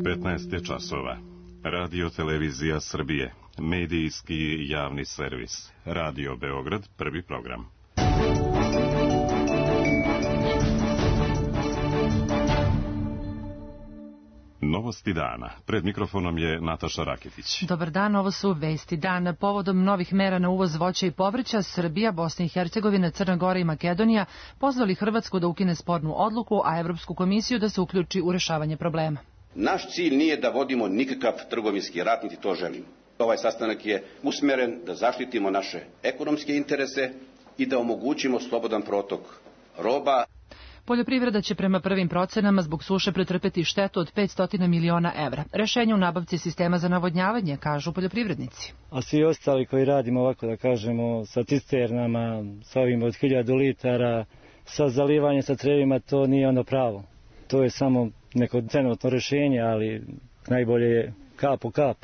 15 je časova. Radio Televizija Srbije, medijski javni servis. Radio Beograd, prvi program. Novosti dana. Pred mikrofonom je Nataša Raketić. Dobar dan, ovo su vesti dana. Povodom novih mera na uvoz voća i povrća, Srbija, Bosna i Hercegovina, Crna Gora i Makedonija pozvali Hrvatsku da ukine spornu odluku, a Evropsku komisiju da se uključi u rešavanje problema. Naš cilj nije da vodimo nikakav trgovinski rat, niti to želimo. Ovaj sastanak je usmeren da zaštitimo naše ekonomske interese i da omogućimo slobodan protok roba. Poljoprivreda će prema prvim procenama zbog suše pretrpeti štetu od 500 miliona evra. Rešenje u nabavci sistema za navodnjavanje, kažu poljoprivrednici. A svi ostali koji radimo ovako, da kažemo, sa cisternama, sa ovim od 1000 litara, sa zalivanjem sa crevima, to nije ono pravo. To je samo neko trenutno rešenje, ali najbolje je kap po kap.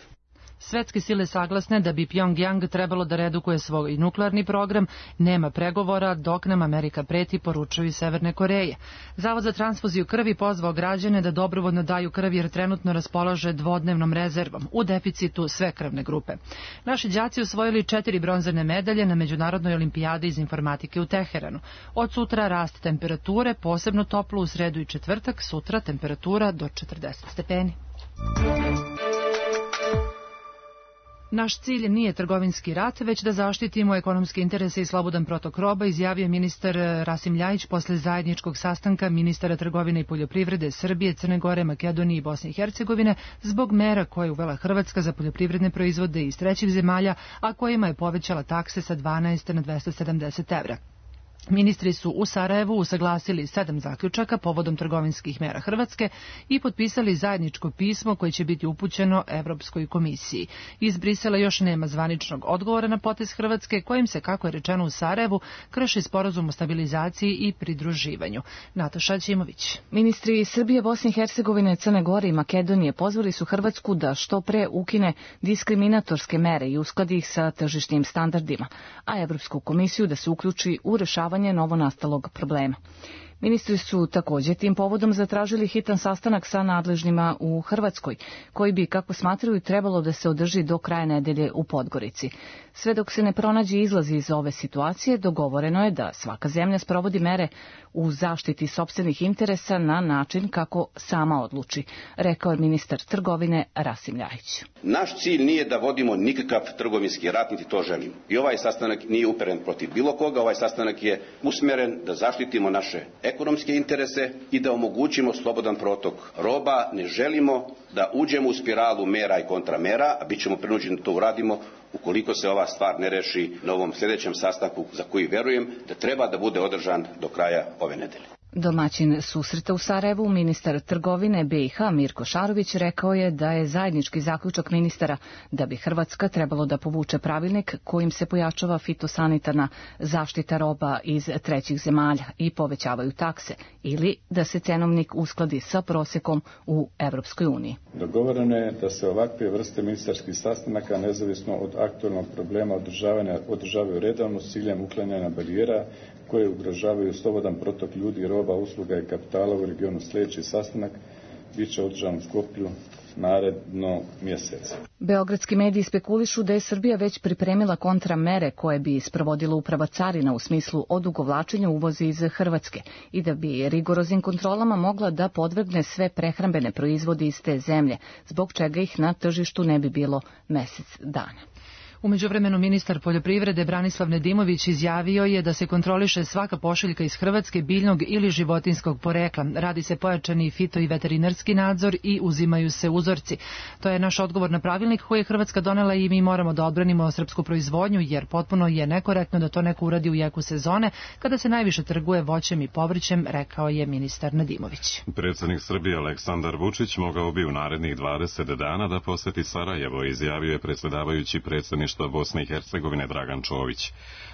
Svetske sile saglasne da bi Pjongjang trebalo da redukuje svoj nuklearni program, nema pregovora dok nam Amerika preti, poručuju iz Severne Koreje. Zavod za transfuziju krvi pozvao građane da dobrovoljno daju krv jer trenutno raspolaže dvodnevnom rezervom, u deficitu sve krvne grupe. Naši đaci osvojili 4 bronzane medalje na Međunarodnoj olimpijadi iz informatike u Teheranu. Od sutra rast temperature, posebno toplo u sredu i četvrtak, sutra temperatura do 40 stepeni. Naš cilj nije trgovinski rat, već da zaštitimo ekonomske interese i slobodan protok roba, izjavio ministar Rasim Ljajić posle zajedničkog sastanka ministara trgovine i poljoprivrede Srbije, Crne Gore, Makedonije i Bosne i Hercegovine zbog mera koje je uvela Hrvatska za poljoprivredne proizvode iz trećih zemalja, a kojima je povećala takse sa 12 na 270 evra. Ministri su u Sarajevu usaglasili 7 zaključaka povodom trgovinskih mera Hrvatske i potpisali zajedničko pismo koje će biti upućeno Evropskoj komisiji. Iz Brisela još nema zvaničnog odgovora na potez Hrvatske, kojim se, kako je rečeno u Sarajevu, krši sporazum o stabilizaciji i pridruživanju. Nataša Ćimović. Ministri Srbije, Bosne i Hercegovine, Crne Gore i Makedonije pozvali su Hrvatsku da što pre ukine diskriminatorske mere i uskladi ih sa tržišnim standardima, a Evropsku komisiju da se uključi u rešavanje novonastalog problema. Ministri su također tim povodom zatražili hitan sastanak sa nadležnima u Hrvatskoj, koji bi, kako smatraju, trebalo da se održi do kraja nedelje u Podgorici. Sve dok se ne pronađe izlaz iz ove situacije, dogovoreno je da svaka zemlja sprovodi mere u zaštiti sopstvenih interesa na način kako sama odluči, rekao je ministar trgovine Rasim Ljajić. Naš cilj nije da vodimo nikakav trgovinski rat, niti to želimo. I ovaj sastanak nije uperen protiv bilo koga, ovaj sastanak je usmeren da zaštitimo naše ekonomske interese i da omogućimo slobodan protok roba. Ne želimo da uđemo u spiralu mera i kontramera, a bit ćemo prinuđeni da to uradimo ukoliko se ova stvar ne reši na ovom sljedećem sastanku, za koji verujem da treba da bude održan do kraja ove nedelje. Domaćin susreta u Sarajevu, ministar trgovine BiH Mirko Šarović, rekao je da je zajednički zaključak ministara da bi Hrvatska trebalo da povuče pravilnik kojim se pojačava fitosanitarna zaštita roba iz trećih zemalja i povećavaju takse, ili da se cenovnik uskladi sa prosekom u Evropskoj uniji. Dogovoreno je da se ovakve vrste ministarskih sastanaka, nezavisno od aktualnog problema održavaju redovno s ciljem uklanjanja barijera koje ugrožavaju slobodan protok ljudi, roba, usluga i kapitala u regionu. Sljedeći sastanak bit će održan u Skoplju naredno mjeseca. Beogradski mediji spekulišu da je Srbija već pripremila kontramere koje bi sprovodila uprava carina u smislu odugovlačenja uvoza iz Hrvatske i da bi rigoroznim kontrolama mogla da podvrgne sve prehrambene proizvode iz te zemlje, zbog čega ih na tržištu ne bi bilo mjesec dana. U međuvremenu ministar poljoprivrede Branislav Nedimović izjavio je da se kontroliše svaka pošiljka iz Hrvatske biljnog ili životinskog porekla. Radi se pojačani fito i veterinarski nadzor i uzimaju se uzorci. To je naš odgovor na pravilnik koji je Hrvatska donela i mi moramo da odbranimo srpsku proizvodnju, jer potpuno je nekorektno da to neko uradi u jeku sezone kada se najviše trguje voćem i povrćem, rekao je ministar Nedimović. Predsjednik Srbije Aleksandar Vučić mogao bi u narednih 20 dana da poseti Sarajevo, izjavio je predsjedavajući predsjedništva predsjedništva Bosne i Hercegovine Dragan Čović.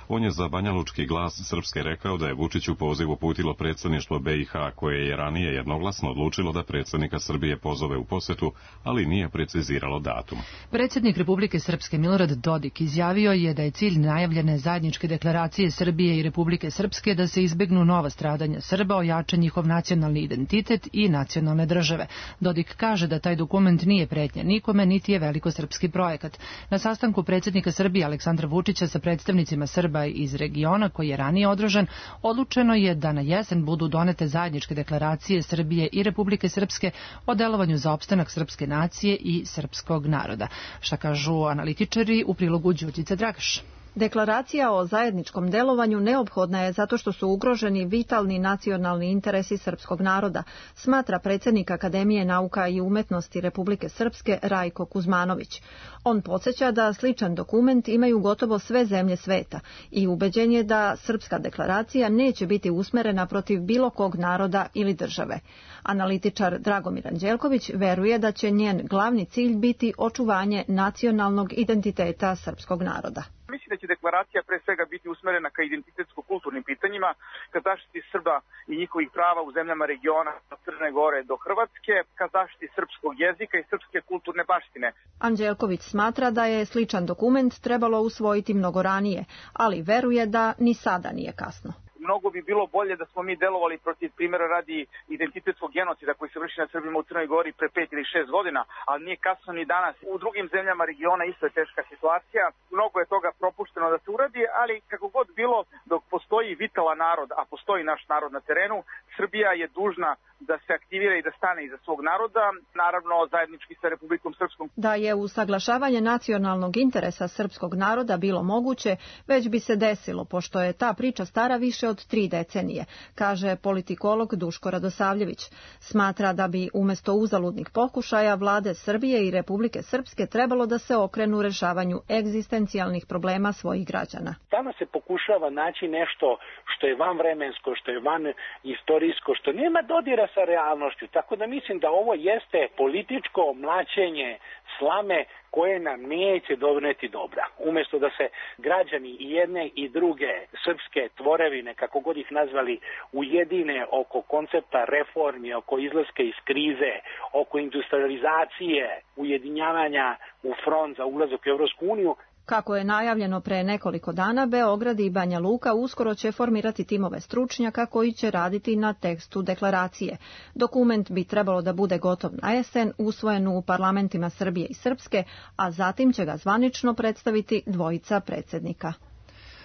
On je za Banjalučki glas Srpske rekao da je Vučiću poziv uputilo predsjedništvo BiH, koje je ranije jednoglasno odlučilo da predsjednika Srbije pozove u posjetu, ali nije preciziralo datum. Predsjednik Republike Srpske Milorad Dodik izjavio je da je cilj najavljene zajedničke deklaracije Srbije i Republike Srpske da se izbegnu nova stradanja Srba, ojača njihov nacionalni identitet i nacionalne države. Dodik kaže da taj dokument nije pretnja nikome, niti je velikosrpski projekat. Na sastanku predsjednika Srbije Aleksandra Vučića sa predstavnicima Srba iz regiona, koji je ranije održan, odlučeno je da na jesen budu donete zajedničke deklaracije Srbije i Republike Srpske o delovanju za opstanak srpske nacije i srpskog naroda. Šta kažu analitičari u prilogu Đurđice Dragaš? Deklaracija o zajedničkom delovanju neophodna je zato što su ugroženi vitalni nacionalni interesi srpskog naroda, smatra predsjednik Akademije nauka i umetnosti Republike Srpske Rajko Kuzmanović. On podsjeća da sličan dokument imaju gotovo sve zemlje sveta i ubeđen je da srpska deklaracija neće biti usmerena protiv bilo kog naroda ili države. Analitičar Dragomir Anđelković veruje da će njen glavni cilj biti očuvanje nacionalnog identiteta srpskog naroda. Mislim da će deklaracija pre svega biti usmerena ka identitetsko-kulturnim pitanjima, ka zaštiti Srba i njihovih prava u zemljama regiona od Crne Gore do Hrvatske, ka zaštiti srpskog jezika i srpske kulturne baštine. Anđelković smatra da je sličan dokument trebalo usvojiti mnogo ranije, ali veruje da ni sada nije kasno. Mnogo bi bilo bolje da smo mi delovali protiv, primjera radi, identitetskog genocida koji se vrši na Srbima u Crnoj Gori pre 5 ili 6 godina, ali nije kasno ni danas. U drugim zemljama regiona isto je teška situacija. Mnogo je toga propušteno da se uradi, ali kako god bilo, dok postoji vitalan narod, a postoji naš narod na terenu, Srbija je dužna da se aktivira i da stane iza svog naroda, naravno zajednički sa Republikom Srpskom. Da je usaglašavanje nacionalnog interesa srpskog naroda bilo moguće, već bi se desilo, pošto je ta priča stara više od 3 decenije, kaže politikolog Duško Radosavljević. Smatra da bi umjesto uzaludnih pokušaja vlade Srbije i Republike Srpske trebalo da se okrenu rešavanju egzistencijalnih problema svojih građana. Danas se pokušava naći nešto što je vanvremensko, što je van istorijsko, što nema dodira sa realnošću. Tako da mislim da ovo jeste političko mlaćenje slame koje nam neće doneti dobra. Umjesto da se građani i jedne i druge srpske tvorevine, kako god ih nazvali, ujedine oko koncepta reformi, oko izlaska iz krize, oko industrializacije, ujedinjavanja u front za ulazak u Evropsku uniju. Kako je najavljeno pre nekoliko dana, Beograd i Banja Luka uskoro će formirati timove stručnjaka koji će raditi na tekstu deklaracije. Dokument bi trebalo da bude gotov na jesen, usvojen u parlamentima Srbije i Srpske, a zatim će ga zvanično predstaviti dvojica predsjednika.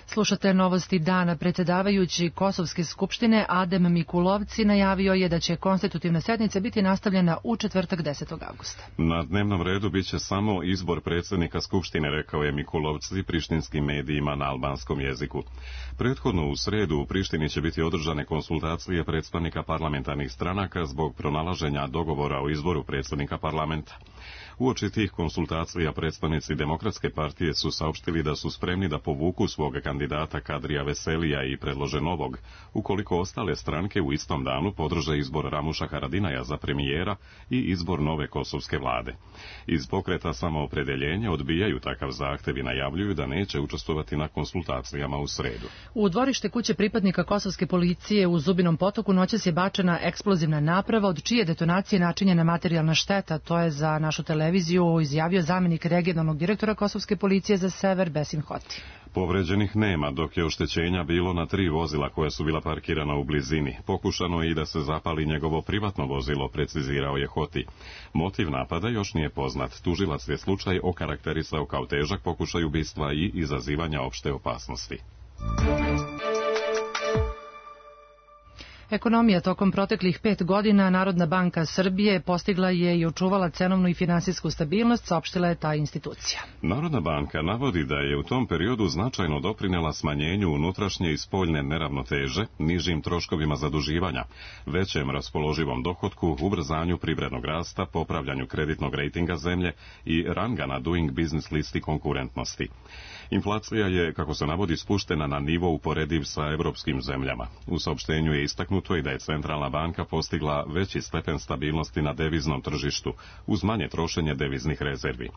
Slušate novosti dana. Predsjedavajući Kosovske skupštine Adem Mikulovci najavio je da će konstitutivna sjednica biti nastavljena u četvrtak 10. augusta. Na dnevnom redu biće samo izbor predsjednika skupštine, rekao je Mikulovci prištinskim medijima na albanskom jeziku. Prethodno u sredu u Prištini će biti održane konsultacije predstavnika parlamentarnih stranaka zbog pronalaženja dogovora o izboru predsjednika parlamenta. Uoči tih konsultacija predstavnici Demokratske partije su saopštili da su spremni da povuku svog kandidata Kadrija Veselija i predlože novog, ukoliko ostale stranke u istom danu podrže izbor Ramuša Haradinaja za premijera i izbor nove kosovske vlade. Iz pokreta Samoopredeljenja odbijaju takav zahtev i najavljuju da neće učestvovati na konsultacijama u sredu. U dvorište kuće pripadnika kosovske policije u Zubinom Potoku noćas je bačena eksplozivna naprava od čije detonacije načinjena materijalna šteta. To je za našu televiziju izjavio zamjenik regionalnog direktora kosovske policije za sever Besim Hoti. Povređenih nema, dok je oštećenja bilo na 3 vozila koja su bila parkirana u blizini. Pokušano je i da se zapali njegovo privatno vozilo, precizirao je Hoti. Motiv napada još nije poznat. Tužilac je slučaj okarakterisao kao težak pokušaj ubistva i izazivanja opšte opasnosti. Ekonomija tokom proteklih 5 godina Narodna banka Srbije postigla je i očuvala cenovnu i finansijsku stabilnost, saopštila je ta institucija. Narodna banka navodi da je u tom periodu značajno doprinela smanjenju unutrašnje i spoljne neravnoteže, nižim troškovima zaduživanja, većem raspoloživom dohotku, ubrzanju privrednog rasta, popravljanju kreditnog rejtinga zemlje i ranga na Doing Business listi konkurentnosti. Inflacija je, kako se navodi, spuštena na nivo uporediv sa evropskim zemljama. U saopštenju je istaknuto istaknuto i da je centralna banka postigla veći stepen stabilnosti na deviznom tržištu uz manje trošenje deviznih rezervi.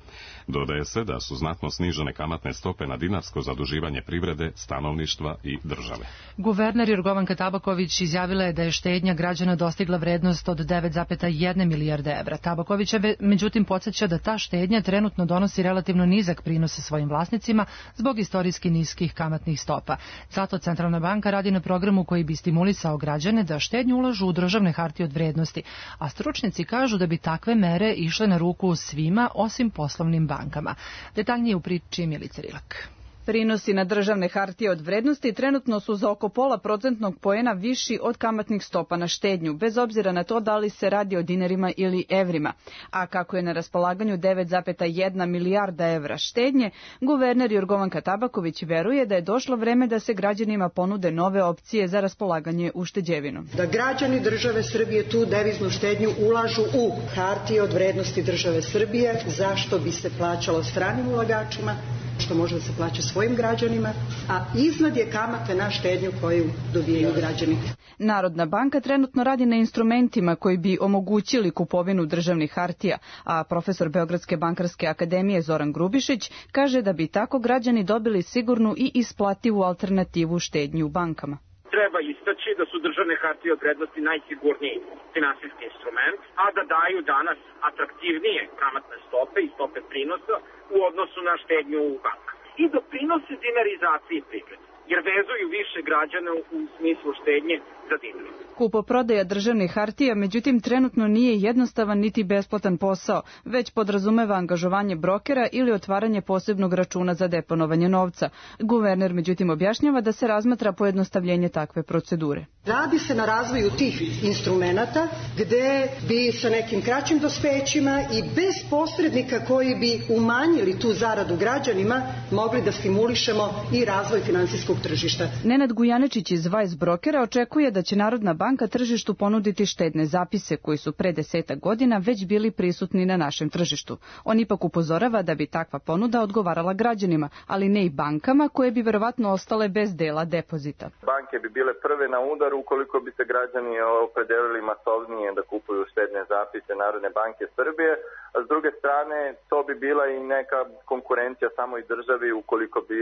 Dodaje se da su znatno snižene kamatne stope na dinarsko zaduživanje privrede, stanovništva i države. Guverner Jorgovanka Tabaković izjavila je da je štednja građana dostigla vrednost od 9,1 milijarde evra. Tabaković je međutim podsjeća da ta štednja trenutno donosi relativno nizak prinos svojim vlasnicima zbog istorijski niskih kamatnih stopa. Zato Centralna banka radi na programu koji bi stimulisao građane da štednju ulažu u državne hartije od vrednosti, a stručnjaci kažu da bi takve mere išle na ruku svima osim poslovnim bankama. Detaljnije u priči Milica Rilak. Prinosi na državne hartije od vrednosti trenutno su za oko 0,5% poena viši od kamatnih stopa na štednju, bez obzira na to da li se radi o dinarima ili evrima. A kako je na raspolaganju 9,1 milijarda evra štednje, guverner Jorgovanka Tabaković veruje da je došlo vreme da se građanima ponude nove opcije za raspolaganje ušteđevinom. Da građani države Srbije tu deviznu štednju ulažu u hartije od vrednosti države Srbije, zašto bi se plaćalo stranim ulagačima, što može da se plaća svojim građanima, a iznad je kamate na štednju koju dobijaju građani. Narodna banka trenutno radi na instrumentima koji bi omogućili kupovinu državnih hartija, a profesor Beogradske bankarske akademije Zoran Grubišić kaže da bi tako građani dobili sigurnu i isplativu alternativu štednji u bankama. Treba istaći da su državne hartije od vrednosti najsigurniji finansijski instrument, a da daju danas atraktivnije kamatne stope i stope prinosa u odnosu na štednju u bankama. I doprinose dinarizaciji privrede, jer vezuju više građana u smislu štednje za dinar. Kupoprodaja državnih hartija, međutim, trenutno nije jednostavan niti besplatan posao, već podrazumeva angažovanje brokera ili otvaranje posebnog računa za deponovanje novca. Guverner, međutim, objašnjava da se razmatra pojednostavljenje takve procedure. Radi se na razvoju tih instrumenata gde bi sa nekim kraćim dospećima i bez posrednika koji bi umanjili tu zaradu građanima mogli da stimulišemo i razvoj finansijskog tržišta. Nenad Gujanečić iz Vice Brokera očekuje da će Narodna banka tržištu ponuditi štedne zapise koji su pre 10 godina već bili prisutni na našem tržištu. On ipak upozorava da bi takva ponuda odgovarala građanima, ali ne i bankama koje bi verovatno ostale bez dela depozita. Banke bi bile prve na udaru ukoliko bi se građani opredelili masovnije da kupuju štedne zapise Narodne banke Srbije, a s druge strane to bi bila i neka konkurencija samoj državi ukoliko bi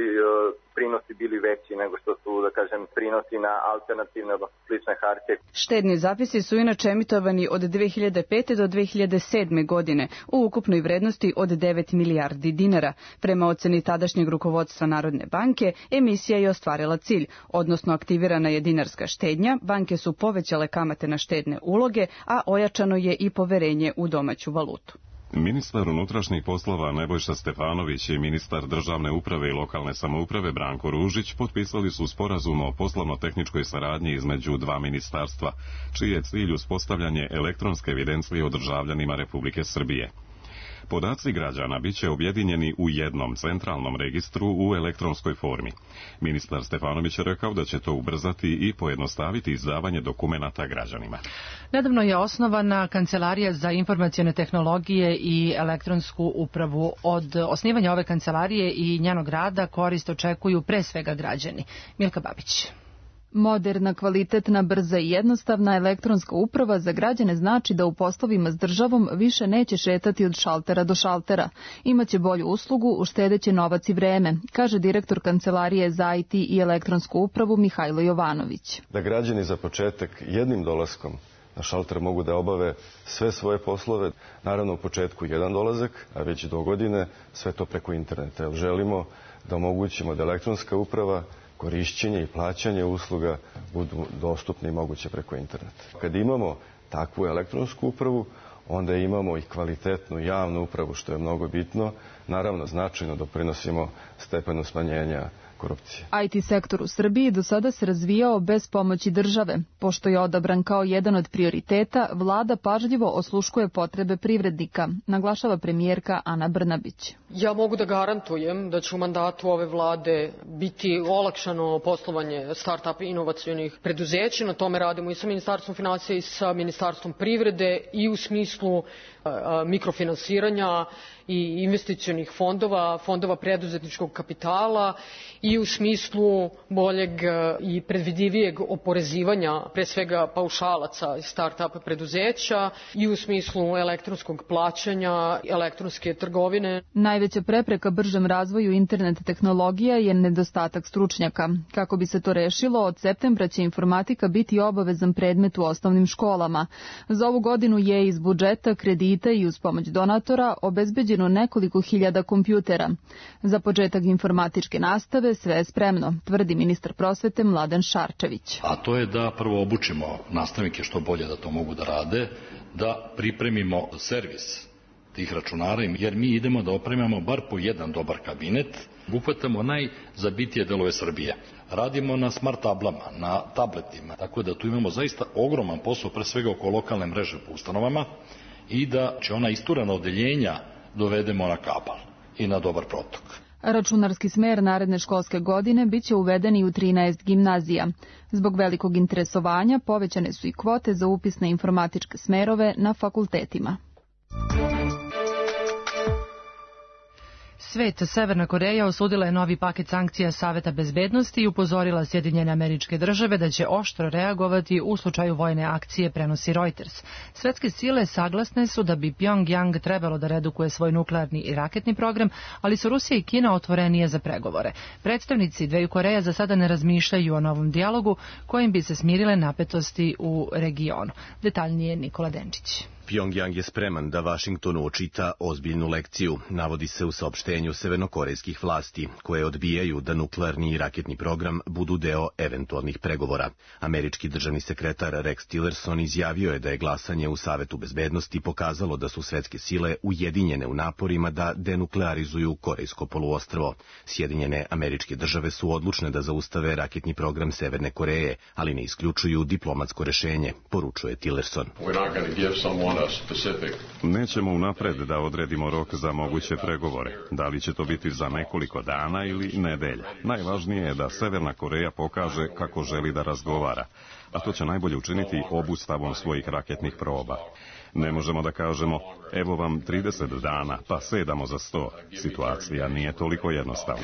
prinosi bili veći nego što su, da kažem, prinosi na alternativne, odnosno slične hartije. Štedni zapisi su inače emitovani od 2005. do 2007. godine u ukupnoj vrednosti od 9 milijardi dinara. Prema oceni tadašnjeg rukovodstva Narodne banke, emisija je ostvarila cilj, odnosno aktivirana je dinarska štednja, banke su povećale kamate na štedne uloge, a ojačano je i poverenje u domaću valutu. Ministar unutrašnjih poslova Nebojša Stefanović i ministar državne uprave i lokalne samouprave Branko Ružić potpisali su sporazum o poslovno-tehničkoj saradnji između dva ministarstva, čiji je cilj uspostavljanje elektronske evidencije o državljanima Republike Srbije. Podaci građana biće objedinjeni u jednom centralnom registru u elektronskoj formi. Ministar Stefanović je rekao da će to ubrzati i pojednostaviti izdavanje dokumenata građanima. Nedavno je osnovana Kancelarija za informacione tehnologije i elektronsku upravu. Od osnivanja ove kancelarije i njenog rada korist očekuju pre svega građani. Milka Babić. Moderna, kvalitetna, brza i jednostavna elektronska uprava za građane znači da u poslovima s državom više neće šetati od šaltera do šaltera. Imaće bolju uslugu, uštedeće novac i vreme, kaže direktor Kancelarije za IT i elektronsku upravu Mihajlo Jovanović. Da građani za početak jednim dolaskom na šalter mogu da obave sve svoje poslove, naravno u početku jedan dolazak, a već do godine sve to preko interneta. Želimo da omogućimo da elektronska uprava, korišćenje i plaćanje usluga budu dostupni i moguće preko interneta. Kad imamo takvu elektronsku upravu, onda imamo i kvalitetnu javnu upravu, što je mnogo bitno. Naravno, značajno doprinosimo stepenu smanjenja korupcije. IT sektor u Srbiji do sada se razvijao bez pomoći države. Pošto je odabran kao jedan od prioriteta, vlada pažljivo osluškuje potrebe privrednika, naglašava premijerka Ana Brnabić. Ja mogu da garantujem da će u mandatu ove vlade biti olakšano poslovanje start-up inovacionih preduzeća. Na tome radimo i sa Ministarstvom finansija i sa Ministarstvom privrede i u smislu mikrofinansiranja i investicionih fondova, fondova preduzetničkog kapitala i i u smislu boljeg i predvidivijeg oporezivanja, pre svega paušalaca i start-up preduzeća, i u smislu elektronskog plaćanja, elektronske trgovine. Najveća prepreka bržem razvoju internet tehnologija je nedostatak stručnjaka. Kako bi se to rešilo, od septembra će informatika biti obavezan predmet u osnovnim školama. Za ovu godinu je iz budžeta, kredita i uz pomoć donatora obezbeđeno nekoliko hiljada kompjutera. Za početak informatičke nastave sve je spremno, tvrdi ministar prosvete Mladen Šarčević. A to je da prvo obučimo nastavnike što bolje da to mogu da rade, da pripremimo servis tih računara, jer mi idemo da opremamo bar po jedan dobar kabinet, uhvatamo najzabitije delove Srbije. Radimo na smart tablama, na tabletima, tako da tu imamo zaista ogroman posao, pre svega oko lokalne mreže po ustanovama, i da će ona isturena odeljenja dovedemo na kabal i na dobar protok. Računarski smer naredne školske godine biće uveden i u 13 gimnazija. Zbog velikog interesovanja povećane su i kvote za upis na informatičke smerove na fakultetima. Svet, Severna Koreja osudila je novi paket sankcija Saveta bezbednosti i upozorila Sjedinjene Američke Države da će oštro reagovati u slučaju vojne akcije, prenosi Reuters. Svetske sile saglasne su da bi Pjongjang trebalo da redukuje svoj nuklearni i raketni program, ali su Rusija i Kina otvorenije za pregovore. Predstavnici dveju Koreja za sada ne razmišljaju o novom dijalogu kojim bi se smirile napetosti u regionu. Detaljnije Nikola Denčić. Pjongjang je spreman da Vašingtonu očita ozbiljnu lekciju, navodi se u saopštenju severnokorejskih vlasti, koje odbijaju da nuklearni i raketni program budu deo eventualnih pregovora. Američki državni sekretar Rex Tillerson izjavio je da je glasanje u Savetu bezbednosti pokazalo da su svetske sile ujedinjene u naporima da denuklearizuju Korejsko poluostrvo. Sjedinjene Američke Države su odlučne da zaustave raketni program Severne Koreje, ali ne isključuju diplomatsko rešenje, poručuje Tillerson. Nećemo unapred da odredimo rok za moguće pregovore. Da li će to biti za nekoliko dana ili nedelja? Najvažnije je da Severna Koreja pokaže kako želi da razgovara, a to će najbolje učiniti obustavom svojih raketnih proba. Ne možemo da kažemo, evo vam 30 dana, pa sedamo za sto. Situacija nije toliko jednostavna.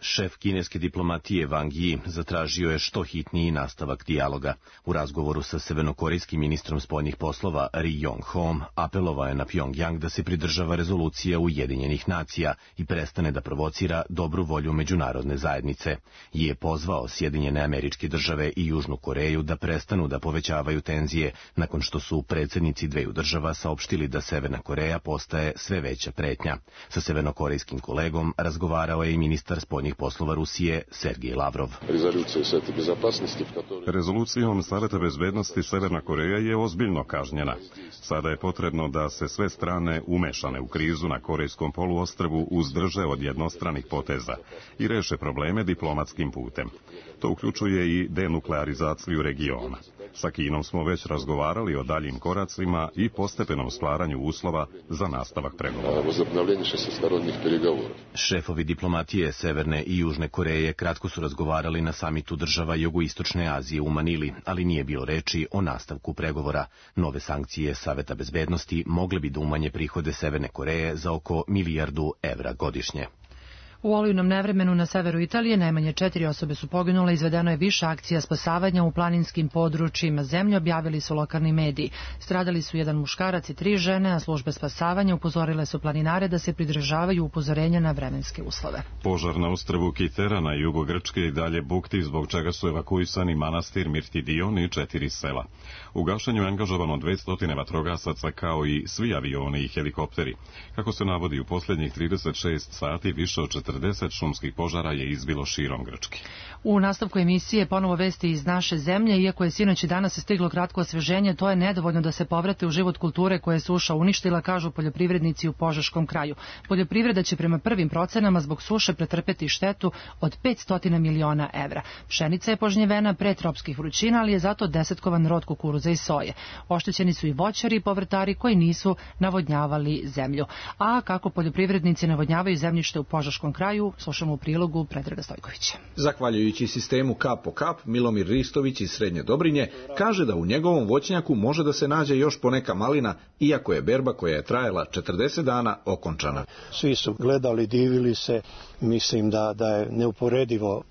Šef kineske diplomatije Wang Yi zatražio je što hitniji nastavak dijaloga. U razgovoru sa severnokorejskim ministrom spoljnih poslova Ri Yong-hom apelovao je na Pjongjang da se pridržava rezolucija Ujedinjenih nacija i prestane da provocira dobru volju međunarodne zajednice. Yi je pozvao Sjedinjene Američke Države i Južnu Koreju da prestanu da povećavaju tenzije nakon što su predsjednici dveju država saopštili da Severna Koreja postaje sve veća pretnja. Sa severnokorejskim kolegom razgovarao je i ministar spoljnih poslova Rusije Sergej Lavrov. Rezolucijom Saveta bezbednosti Severna Koreja je ozbiljno kažnjena. Sada je potrebno da se sve strane umešane u krizu na Korejskom poluostrvu uzdrže od jednostranih poteza i reše probleme diplomatskim putem. To uključuje i denuklearizaciju regiona. Sa Kinom smo već razgovarali o daljim koracima i postepenom stvaranju uslova za nastavak pregovora. Šefovi diplomatije Severne i Južne Koreje kratko su razgovarali na samitu država Jugoistočne Azije u Manili, ali nije bilo reči o nastavku pregovora. Nove sankcije Saveta bezbednosti mogle bi da umanje prihode Severne Koreje za oko milijardu evra godišnje. U olujnom nevremenu na severu Italije najmanje 4 osobe su poginule, izvedeno je više akcija spasavanja u planinskim područjima zemlje, objavili su lokalni mediji. Stradali su jedan muškarac i 3 žene, a službe spasavanja upozorile su planinare da se pridržavaju upozorenja na vremenske uslove. Požar na ostrvu Kitera na jugu Grčke i dalje bukti, zbog čega su evakuisani manastir Mirtidion i 4 sela. U gašenju je angažovano 200 vatrogasaca kao i svi avioni i helikopteri. Kako se navodi, u posljednjih 36 sati više od 40 šumskih požara je izbilo širom Grčke. U nastavku emisije ponovo vesti iz naše zemlje. Iako je sinoć i danas stiglo kratko osveženje, to je nedovoljno da se povrate u život kulture koje je suša uništila, kažu poljoprivrednici u Požeškom kraju. Poljoprivreda će prema prvim procenama zbog suše pretrpeti štetu od 500 miliona evra. Pšenica je požnjevena pre tropskih vrućina, ali je zato desetkovan rod kukuruza i soje. Oštećeni su i voćari i povrtari koji nisu navodnjavali zemlju. A kako poljoprivrednici navodnjavaju zemljište u Požeškom kraju slušamo u prilogu Predraga Stojkovića. Zahvaljujući sistemu kap po kap, Milomir Ristović iz Srednje Dobrinje kaže da u njegovom voćnjaku može da se nađe još poneka malina, iako je berba koja je trajala 40 dana okončana. Svi su gledali, divili se, mislim da je neuporedivo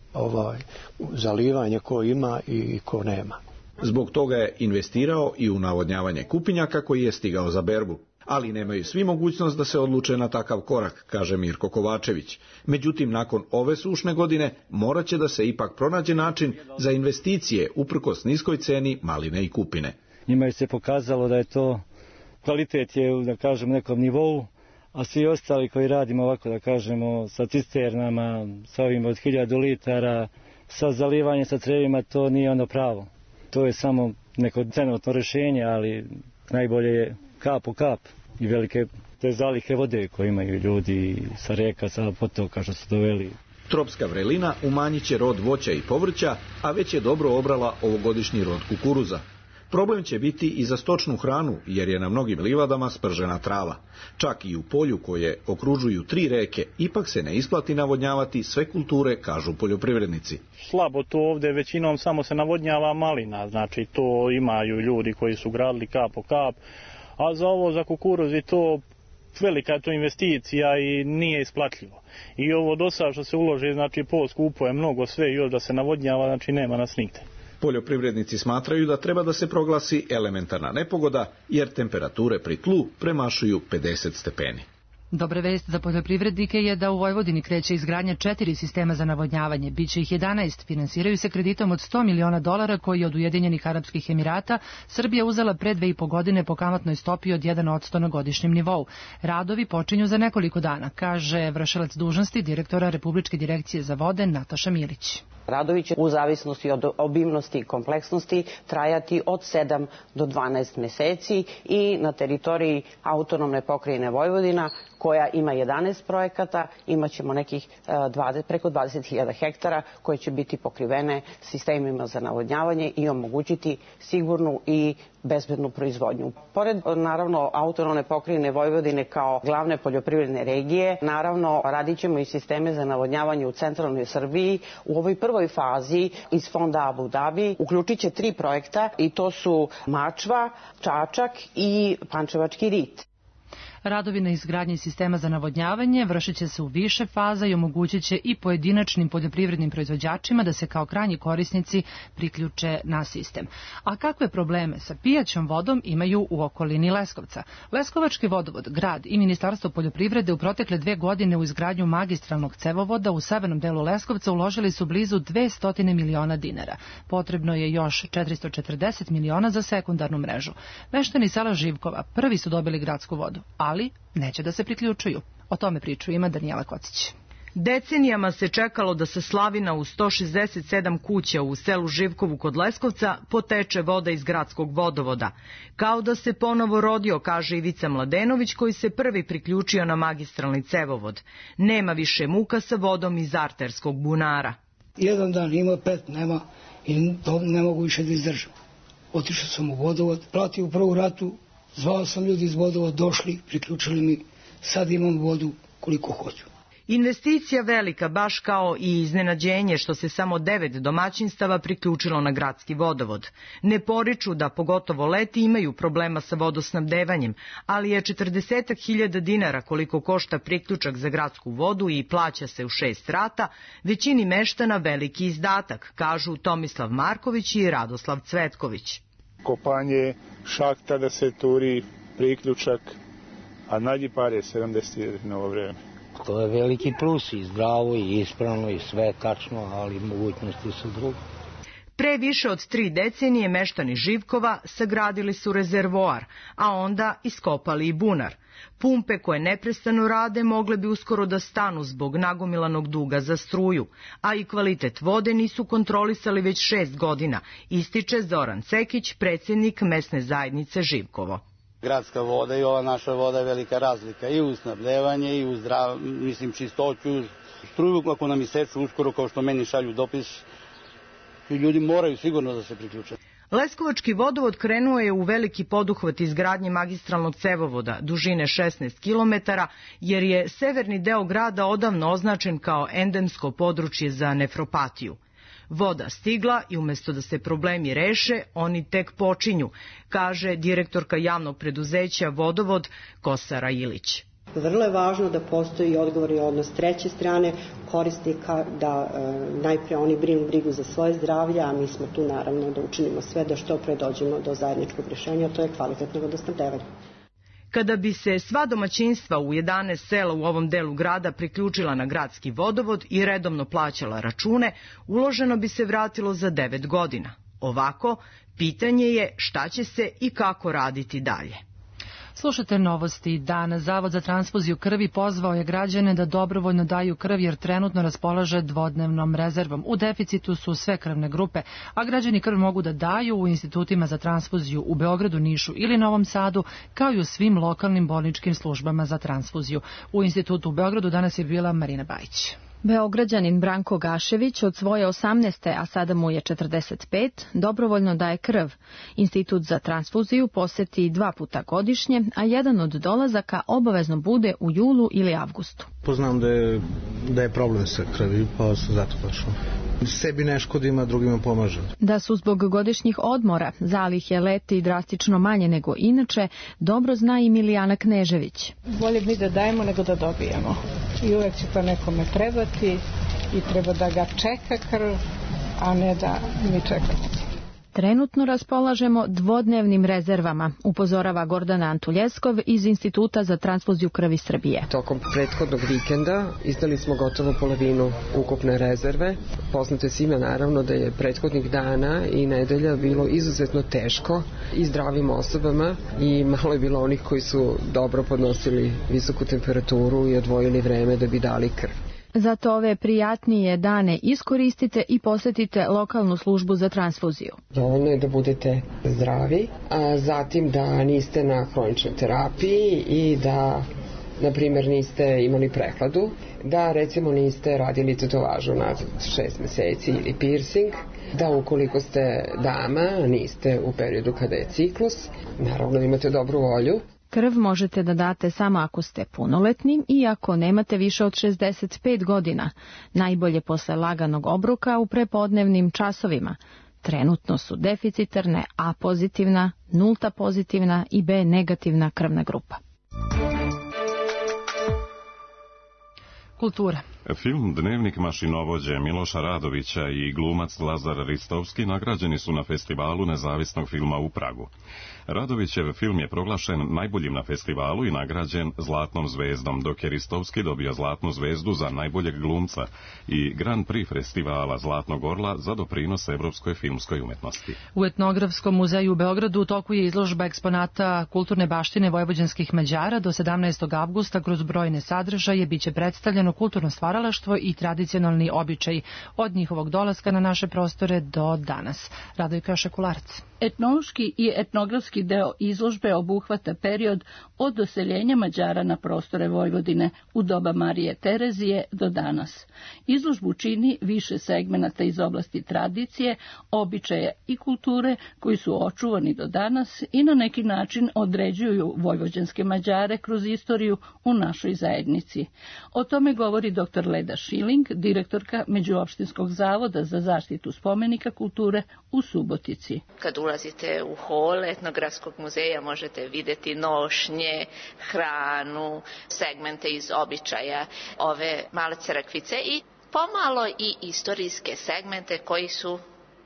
zalivanje ko ima i ko nema. Zbog toga je investirao i u navodnjavanje kupinjaka koji je stigao za berbu. Ali nemaju svi mogućnost da se odluče na takav korak, kaže Mirko Kovačević. Međutim, nakon ove sušne godine morat će da se ipak pronađe način za investicije uprkos niskoj ceni maline i kupine. Njima je se pokazalo da je to kvalitet je, da kažem, nekom nivou, a svi ostali koji radimo ovako, da kažemo, sa cisternama, sa ovim od 1000 litara, sa zalivanjem sa crevima, to nije ono pravo. To je samo neko trenutno rješenje, ali najbolje je kap po kap i velike te zalihe vode koje imaju ljudi sa reka, sa potoka što su doveli. Tropska vrelina umanjit će rod voća i povrća, a već je dobro obrala ovogodišnji rod kukuruza. Problem će biti i za stočnu hranu, jer je na mnogim livadama spržena trava. Čak i u polju koje okružuju 3 reke, ipak se ne isplati navodnjavati sve kulture, kažu poljoprivrednici. Slabo to ovdje većinom samo se navodnjava malina, znači to imaju ljudi koji su gradili kap po kap, a za ovo, za kukuruz je to velika je to investicija i nije isplatljivo. I ovo do sada što se uloži, znači poskupo je mnogo sve i još da se navodnjava, znači nema nas nigde. Poljoprivrednici smatraju da treba da se proglasi elementarna nepogoda, jer temperature pri tlu premašuju 50 stepeni. Dobra vest za poljoprivrednike je da u Vojvodini kreće izgradnja 4 sistema za navodnjavanje. Biće ih 11. Finansiraju se kreditom od $100 miliona koji je od Ujedinjenih Arapskih Emirata Srbija uzela pre 2,5 godine po kamatnoj stopi od 1% na godišnjem nivou. Radovi počinju za nekoliko dana, kaže vršilac dužnosti direktora Republičke direkcije za vode Nataša Milić. Radovi će u zavisnosti od obimnosti i kompleksnosti trajati od 7 do 12 meseci i na teritoriji autonomne pokrajine Vojvodina, koja ima 11 projekata, imat ćemo nekih preko 20.000 hektara koje će biti pokrivene sistemima za navodnjavanje i omogućiti sigurnu i bezbednu proizvodnju. Pored, naravno, autonomne pokrajine Vojvodine kao glavne poljoprivredne regije, naravno, radit ćemo i sisteme za navodnjavanje u centralnoj Srbiji. U ovoj prvoj fazi iz fonda Abu Dhabi uključit će 3 projekta i to su Mačva, Čačak i Pančevački rit. Radovi na izgradnji sistema za navodnjavanje vršit će se u više faza i omogućit će i pojedinačnim poljoprivrednim proizvođačima da se kao krajnji korisnici priključe na sistem. A kakve probleme sa pijaćom vodom imaju u okolini Leskovca? Leskovački vodovod, grad i Ministarstvo poljoprivrede u protekle 2 godine u izgradnju magistralnog cevovoda u severnom delu Leskovca uložili su blizu 200 miliona dinara. Potrebno je još 440 miliona za sekundarnu mrežu. Meštani sela Živkova prvi su dobili gradsku vodu, ali neće da se priključuju. O tome priču ima Danijela Kocić. Decenijama se čekalo da sa slavina u 167 kuća u selu Živkovu kod Leskovca poteče voda iz gradskog vodovoda. Kao da se ponovo rodio, kaže Ivica Mladenović, koji se prvi priključio na magistralni cevovod. Nema više muka sa vodom iz arterskog bunara. Jedan dan ima 5, nema i to ne mogu više da izdržam. Otišao sam u vodovod, platio u prvu ratu, zvao sam ljudi iz vodovoda, došli, priključili mi, sad imam vodu koliko hoću. Investicija velika, baš kao i iznenađenje što se samo 9 domaćinstava priključilo na gradski vodovod. Ne poriču da pogotovo leti imaju problema sa vodosnabdevanjem, ali je 40.000 dinara koliko košta priključak za gradsku vodu i plaća se u 6 rata, većini meštana veliki izdatak, kažu Tomislav Marković i Radoslav Cvetković. Kopanje, šahta da se turi, priključak, a nađi pare 70 na ovo vreme. To je veliki plus i zdravo i ispravno i sve tačno, ali mogućnosti su druge. Pre više od 3 decenije meštani Živkova sagradili su rezervoar, a onda iskopali i bunar. Pumpe koje neprestano rade mogle bi uskoro da stanu zbog nagomilanog duga za struju, a i kvalitet vode nisu kontrolisali već 6 godina, ističe Zoran Cekić, predsjednik mesne zajednice Živkovo. Gradska voda i ova naša voda je velika razlika i u snabdevanje i u čistoću, struju ako nam iseču uskoro, kao što meni šalju dopis, i ljudi moraju sigurno da se priključe. Leskovački vodovod krenuo je u veliki poduhvat izgradnje magistralnog cevovoda dužine 16 km, jer je severni deo grada odavno označen kao endemsko područje za nefropatiju. Voda stigla i umjesto da se problemi reše, oni tek počinju, kaže direktorka javnog preduzeća Vodovod Kosara Ilić. Vrlo je važno da postoji odgovorni odnos treće strane korisnika, da najpre oni brinu brigu za svoje zdravlje, a mi smo tu naravno da učinimo sve da što pre dođemo do zajedničkog rješenja, to je kvalitetno vodosnabdevanje. Kada bi se sva domaćinstva u 11 sela u ovom delu grada priključila na gradski vodovod i redovno plaćala račune, uloženo bi se vratilo za 9 godina. Ovako, pitanje je šta će se i kako raditi dalje. Slušate novosti dana. Zavod za transfuziju krvi pozvao je građane da dobrovoljno daju krv jer trenutno raspolaže dvodnevnom rezervom. U deficitu su sve krvne grupe, a građani krv mogu da daju u institutima za transfuziju u Beogradu, Nišu ili Novom Sadu, kao i u svim lokalnim bolničkim službama za transfuziju. U institutu u Beogradu danas je bila Marina Bajić. Beograđanin Branko Gašević od svoje 18. a sada mu je 45, dobrovoljno daje krv. Institut za transfuziju poseti 2 puta godišnje, a jedan od dolazaka obavezno bude u julu ili avgustu. Poznam da je problem sa krvi, pa sam zato došao. Sebi ne škodim, a drugima pomažem. Da su zbog godišnjih odmora zalihe leti drastično manje nego inače, dobro zna i Milijana Knežević. Bolje mi da dajemo nego da dobijemo. I uvek će to nekome trebati i treba da ga čeka krv, a ne da mi čekamo. Trenutno raspolažemo dvodnevnim rezervama, upozorava Gordana Antuljeskov iz Instituta za transfuziju krvi Srbije. Tokom prethodnog vikenda izdali smo gotovo polovinu ukupne rezerve. Poznato je svima naravno da je prethodnih dana i nedelja bilo izuzetno teško i zdravim osobama i malo je bilo onih koji su dobro podnosili visoku temperaturu i odvojili vreme da bi dali krv. Zato ove prijatnije dane iskoristite i posetite lokalnu službu za transfuziju. Dovoljno je da budete zdravi, a zatim da niste na hroničnoj terapiji i da, na primjer, niste imali prehladu, da recimo niste radili tetovažu nazad 6 meseci ili piercing, da ukoliko ste dama, niste u periodu kada je ciklus, naravno imate dobru volju. Krv možete da date samo ako ste punoletni i ako nemate više od 65 godina, najbolje posle laganog obroka u prepodnevnim časovima. Trenutno su deficitarne A pozitivna, nulta pozitivna i B negativna krvna grupa. Kultura. Film Dnevnik mašinovođe Miloša Radovića i glumac Lazar Ristovski nagrađeni su na festivalu nezavisnog filma u Pragu. Radovićev film je proglašen najboljim na festivalu i nagrađen Zlatnom zvezdom, dok je Ristovski dobio Zlatnu zvezdu za najboljeg glumca i Grand Prix festivala Zlatnog orla za doprinos evropskoj filmskoj umetnosti. U Etnografskom muzeju u Beogradu u toku je izložba eksponata kulturne baštine vojvođanskih Mađara. Do 17. avgusta kroz brojne sadržaje biće predstavljeno kulturno stvaralaštvo i tradicionalni običaji od njihovog dolaska na naše prostore do danas. Radojka Šekularac. Etnološki i etnografski deo izložbe obuhvata period od doseljenja Mađara na prostore Vojvodine u doba Marije Terezije do danas. Izložbu čini više segmenata iz oblasti tradicije, običaja i kulture koji su očuvani do danas i na neki način određuju vojvođanske Mađare kroz istoriju u našoj zajednici. O tome govori dr. Leda Šiling, direktorka Međuopštinskog zavoda za zaštitu spomenika kulture u Subotici. Kad ulazite u hol Etnografskog muzeja možete vidjeti nošnje, hranu, segmente iz običaja ove male crkvice i pomalo i istorijske segmente koji su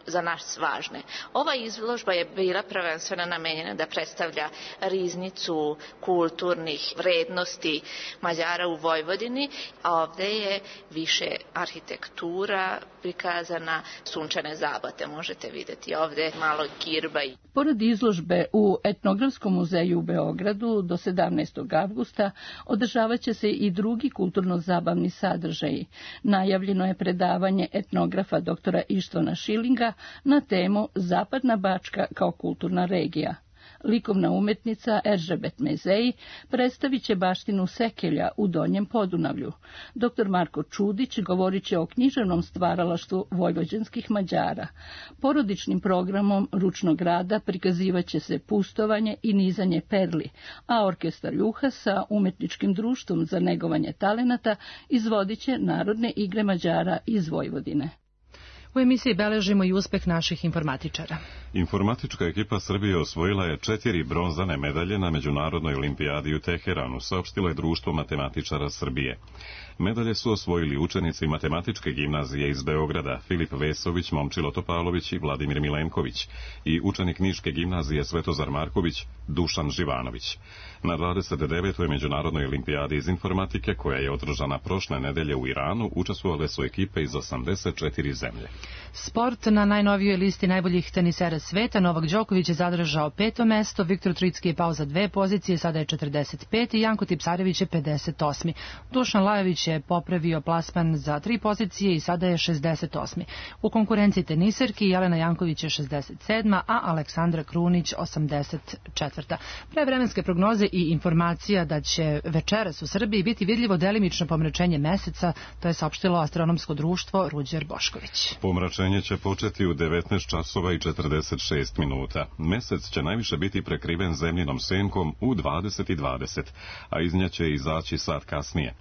za nas važne. Ova izložba je bila prvenstveno namenjena da predstavlja riznicu kulturnih vrednosti Mađara u Vojvodini, a ovde je više arhitektura prikazana, sunčane zabate možete vidjeti ovde, malo girba. Pored izložbe u Etnografskom muzeju u Beogradu do 17. avgusta održavaće se i drugi kulturno-zabavni sadržaji. Najavljeno je predavanje etnografa doktora Ištvana Šilinga na temu Zapadna Bačka kao kulturna regija. Likovna umetnica Eržebet Mezej predstavit će baštinu Sekelja u Donjem Podunavlju. Dr. Marko Čudić govorit će o književnom stvaralaštvu vojvođanskih Mađara. Porodičnim programom ručnog rada prikazivaće se pustovanje i nizanje perli, a orkestar Juha sa umetničkim društvom za negovanje talenata izvodit će narodne igre Mađara iz Vojvodine. U emisiji beležimo i uspeh naših informatičara. Informatička ekipa Srbije osvojila je 4 bronzane medalje na Međunarodnoj olimpijadi u Teheranu, saopštilo je Društvo matematičara Srbije. Medalje su osvojili učenici Matematičke gimnazije iz Beograda, Filip Vesović, Momčilo Topalović i Vladimir Milenković, i učenik Niške gimnazije Svetozar Marković, Dušan Živanović. Na 29. Međunarodnoj olimpijadi iz informatike, koja je održana prošle nedelje u Iranu, učestvovale su ekipe iz 84 zemlje. Sport. Na najnovijoj listi najboljih tenisera sveta Novak Đoković je zadržao 5. mesto, Viktor Tricki je pao za 2 pozicije, sada je 45. i Janko Tipsarević je 58. Dušan Lajović je popravio plasman za 3 pozicije i sada je 68. U konkurenciji teniserki Jelena Janković je 67. a Aleksandra Krunić 84. Pre vremenske prognoze i informacija da će večeras u Srbiji biti vidljivo delimično pomračenje meseca, to je saopštilo astronomsko društvo Ruđer Bošković. Pomračenje će početi u 19 časova i 46 minuta. Mesec će najviše biti prekriven zemljinom senkom u 20:20, a iz nje će izaći sat kasnije.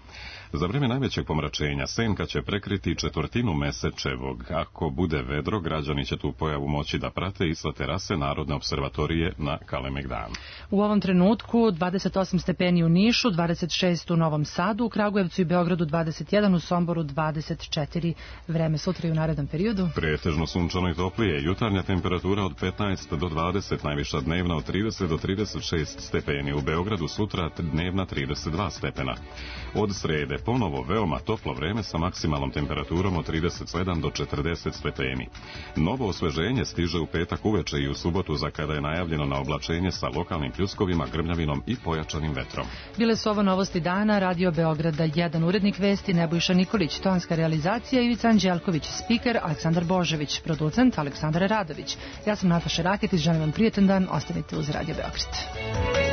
Za vreme najvećeg pomračenja senka će prekriti četvrtinu mesečevog. Ako bude vedro, građani će tu pojavu moći da prate i sa terase Narodne observatorije na Kalemegdanu. U ovom trenutku 28 stepeni u Nišu, 26 u Novom Sadu, u Kragujevcu i Beogradu 21, u Somboru 24. Vreme sutra i u narednom periodu. Pretežno sunčano i toplije, jutarnja temperatura od 15 do 20, najviša dnevna od 30 do 36 stepeni. U Beogradu sutra dnevna 32 stepena. Od srede ponovo veoma toplo vreme sa maksimalnom temperaturom od 37 do 40 stepeni. Novo osveženje stiže u petak uveče i u subotu, za kada je najavljeno na oblačenje sa lokalnim pljuskovima, grmljavinom i pojačanim vetrom. Bile su ovo novosti dana, Radio Beograda 1, urednik vesti Nebojša Nikolić, tonska realizacija Ivica Anđelković, spiker Aleksandar Božević, producent Aleksandar Radović. Ja sam Nataša Raketić, želim vam prijetan dan, ostanite uz Radio Beograd.